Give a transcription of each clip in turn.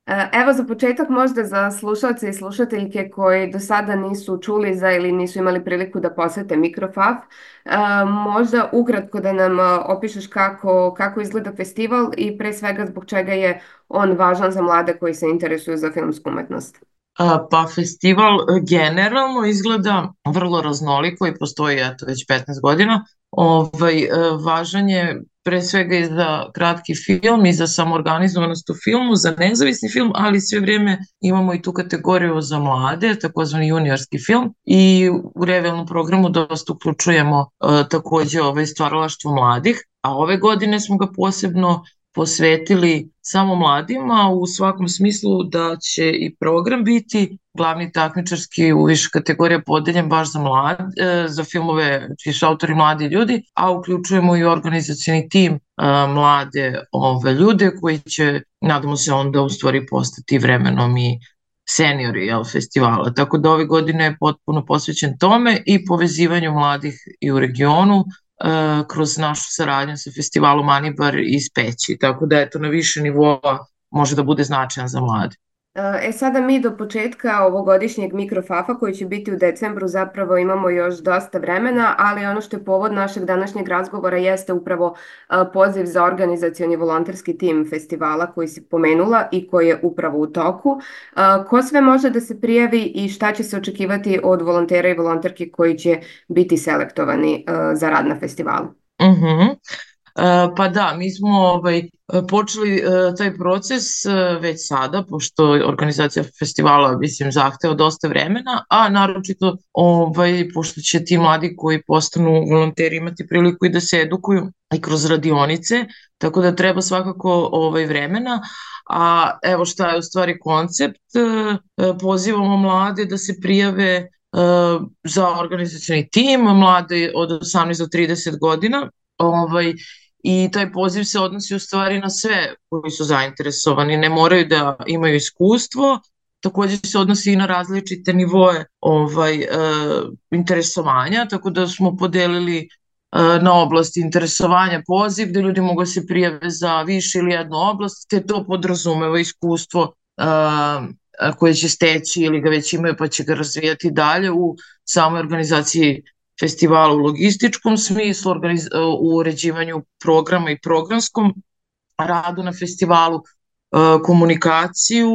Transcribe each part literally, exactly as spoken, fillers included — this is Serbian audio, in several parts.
E, Evo za početak možda za slušalce i slušateljke koji do sada nisu čuli za ili nisu imali priliku da posete Mikrofaf, e, možda ukratko da nam e, opišeš kako, kako izgleda festival i pre svega zbog čega je on važan za mlade koji se interesuju za filmsku umetnost. A, Pa festival e, generalno izgleda vrlo raznoliko i postoji eto već petnaest godina. Ovaj, e, važan je pre svega i za kratki film i za samoorganizovanost u filmu, za nezavisni film, ali sve vrijeme imamo i tu kategoriju za mlade, takozvani juniorski film i u revelnom programu dosta uključujemo e, takođe ovaj stvaralaštvo mladih, a ove godine smo ga posebno posvetili samo mladima u svakom smislu da će i program biti glavni takmičarski u više kategorija podeljen baš za mlade, za filmove čiji su autori mladi ljudi, a uključujemo i organizacioni tim e, mlade ove ljude koji će, nadamo se onda u stvari postati vremenom i seniori jel, festivala. Tako da ove godine je potpuno posvećen tome i povezivanju mladih i u regionu e, kroz našu saradnju sa festivalom Anibar iz Peći. Tako da eto na više nivoa može da bude značajan za mlade. E sada mi do početka ovogodišnjeg Mikrofafa koji će biti u decembru zapravo imamo još dosta vremena, ali ono što je povod našeg današnjeg razgovora jeste upravo e, poziv za organizacioni volonterski tim festivala koji si pomenula i koji je upravo u toku. E, Ko sve može da se prijavi i šta će se očekivati od volontera i volonterki koji će biti selektovani e, za rad na festivalu? Mhm. E, Pa da, mi smo ovaj, počeli e, taj proces e, već sada, pošto organizacija festivala, mislim, zahteva dosta vremena, a naročito ovaj, pošto će ti mladi koji postanu volonteri imati priliku i da se edukuju i kroz radionice, tako da treba svakako ovaj, vremena. A evo šta je u stvari koncept, e, e, pozivamo mlade da se prijave e, za organizacioni tim, mlade od osamnaest do trideset godina, ovaj, i taj poziv se odnosi u stvari na sve koji su zainteresovani, ne moraju da imaju iskustvo, takođe se odnosi i na različite nivoe ovaj, e, interesovanja, tako da smo podelili e, na oblasti interesovanja poziv, gde ljudi mogu da se prijave za više ili jednu oblast, te to podrazumeva iskustvo e, koje će steći ili ga već imaju pa će ga razvijati dalje u samoj organizaciji festivala u logističkom smislu, u uređivanju programa i programskom radu na festivalu, komunikaciju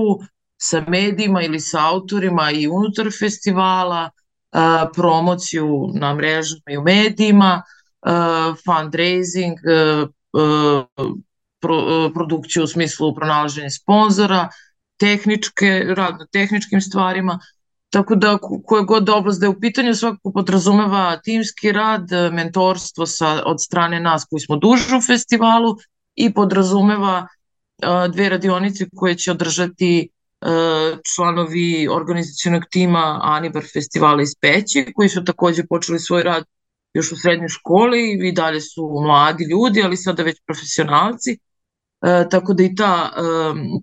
sa medijima ili sa autorima i unutar festivala, promociju na mrežama i u medijima, fundraising, produkciju u smislu pronalaženja sponzora, tehničke, rad na tehničkim stvarima. Tako da koja god oblast da je u pitanju svakako podrazumeva timski rad, mentorstvo sa, od strane nas koji smo duže u festivalu i podrazumeva a, dve radionice koje će održati a, članovi organizacionog tima Anibar festivala iz Peći koji su takođe počeli svoj rad još u srednjoj školi i dalje su mladi ljudi, ali sada već profesionalci. E, tako da i ta, e,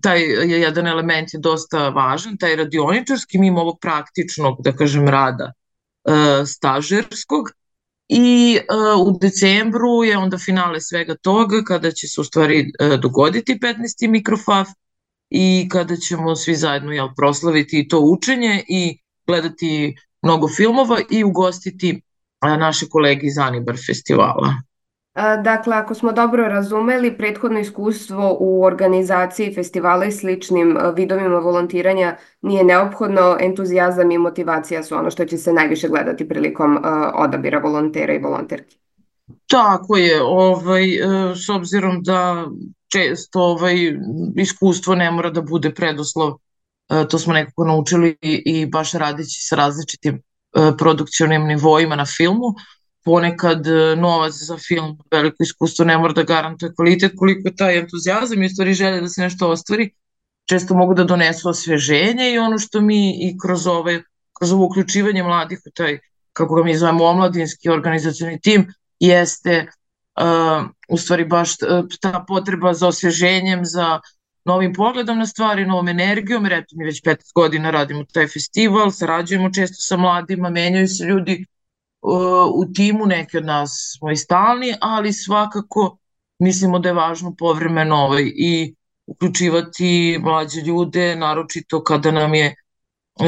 taj je jedan element je dosta važan, taj radioničarski, mimo ovog praktičnog, da kažem, rada e, stažerskog. I e, u decembru je onda finale svega toga, kada će se u stvari e, dogoditi petnaesti Mikrofaf i kada ćemo svi zajedno jel, proslaviti i to učenje i gledati mnogo filmova i ugostiti e, naše kolege iz Anibar festivala. A, Dakle, ako smo dobro razumeli, prethodno iskustvo u organizaciji festivala i sličnim a, vidovima volontiranja nije neophodno, entuzijazam i motivacija su ono što će se najviše gledati prilikom a, odabira volontera i volonterki. Tako je, ovaj, e, s obzirom da često ovaj, iskustvo ne mora da bude preduslov, e, to smo nekako naučili i, i baš radeći sa različitim e, produkcionim nivoima na filmu, ponekad e, novac za film, veliko iskustvo ne mora da garantuje kvalitet, koliko je taj entuzijazam i u stvari želje da se nešto ostvari, često mogu da donesu osveženje i ono što mi i kroz ove, kroz ovo uključivanje mladih u taj, kako ga mi zovemo, omladinski organizacioni tim, jeste uh, u stvari baš ta potreba za osveženjem, za novim pogledom na stvari, novom energijom, jer eto mi već petnaest godina radimo taj festival, sarađujemo često sa mladima, menjaju se ljudi uh, u timu, neki od nas smo i stalni, ali svakako mislimo da je važno povremeno ovaj, i uključivati mlađe ljude, naročito kada nam je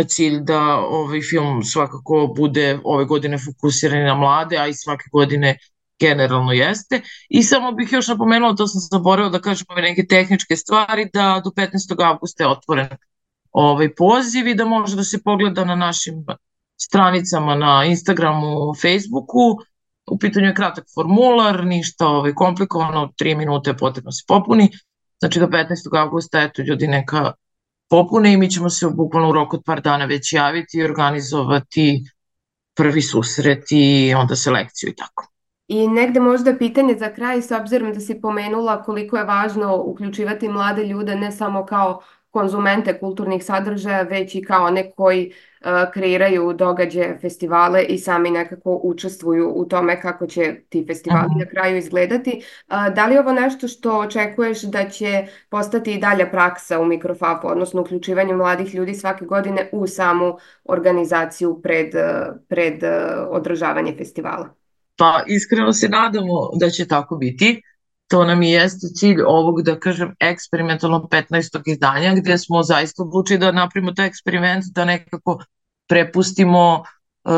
cilj da ovaj film svakako bude ove godine fokusiran na mlade, a i svake godine generalno jeste. I samo bih još napomenula, to sam zaboravila da kažem ove neke tehničke stvari, da do petnaestog avgusta je otvoren ovaj poziv i da može da se pogleda na našim stranicama na Instagramu, Facebooku. U pitanju je kratak formular, ništa ovaj, komplikovano, tri minute je potrebno se popuni. Znači do petnaestog avgusta, eto, ljudi neka popune i mi ćemo se bukvalno u roku od par dana već javiti i organizovati prvi susret i onda selekciju i tako. I negde možda pitanje za kraj, s obzirom da si pomenula koliko je važno uključivati mlade ljude ne samo kao konzumente kulturnih sadržaja, već i kao one koji uh, kreiraju događaje, festivale i sami nekako učestvuju u tome kako će ti festivali Mhm. na kraju izgledati. Uh, da li je ovo nešto što očekuješ da će postati i dalja praksa u Mikrofapu, odnosno uključivanje mladih ljudi svake godine u samu organizaciju pred, uh, pred uh, održavanje festivala? Pa iskreno se nadamo da će tako biti. To nam i jeste cilj ovog, da kažem, eksperimentalnog petnaestog izdanja, gdje smo zaista odlučili da napravimo taj eksperiment, da nekako prepustimo, uh,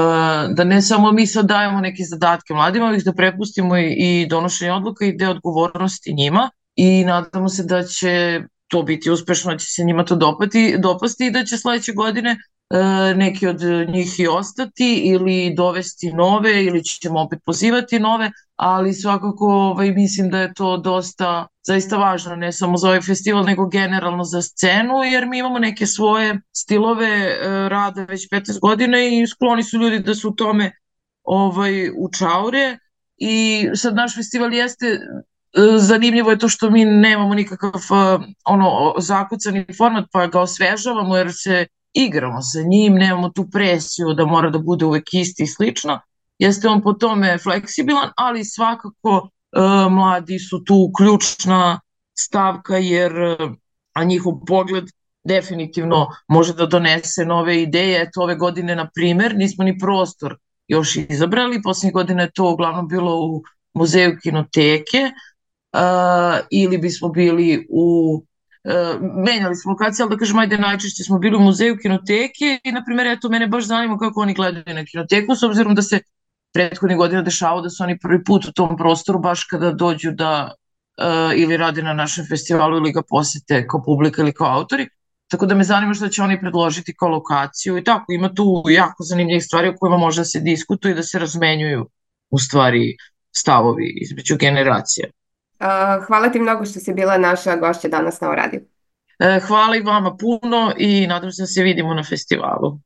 da ne samo mi sad dajemo neke zadatke mladima, već da prepustimo i, i donošenje odluka i deo odgovornosti njima i nadamo se da će to biti uspešno, da će se njima to dopati, dopasti i da će sledeće godine e, neki od njih i ostati ili dovesti nove ili ćemo opet pozivati nove, ali svakako ovaj, mislim da je to dosta zaista važno, ne samo za ovaj festival, nego generalno za scenu, jer mi imamo neke svoje stilove e, rada već petnaest godina i skloni su ljudi da su u tome ovaj, učaure i sad naš festival jeste zanimljivo je to što mi nemamo nikakav ono zakucani format pa ga osvežavamo jer se igramo sa njim, nemamo tu presiju da mora da bude uvek isti i slično. Jeste on po tome fleksibilan, ali svakako e, mladi su tu ključna stavka jer a njihov pogled definitivno može da donese nove ideje. Eto ove godine, na primer, nismo ni prostor još izabrali, poslednjih godina je to uglavnom bilo u muzeju Kinoteke, Uh, ili bismo bili u uh, menjali smo lokacije, ali da kažem, ajde, najčešće smo bili u muzeju Kinoteke i, na primjer, eto, mene baš zanima kako oni gledaju na Kinoteku, s obzirom da se prethodnih godina dešavao da su oni prvi put u tom prostoru, baš kada dođu da uh, ili rade na našem festivalu ili ga posete kao publika ili kao autori, tako da me zanima što će oni predložiti kao lokaciju i tako, ima tu jako zanimljivih stvari o kojima može da se diskutuje i da se razmenjuju u stvari stavovi između generacija. Hvala ti mnogo što si bila naša gošća danas na O radiju. Hvala i vama puno i nadam se da se vidimo na festivalu.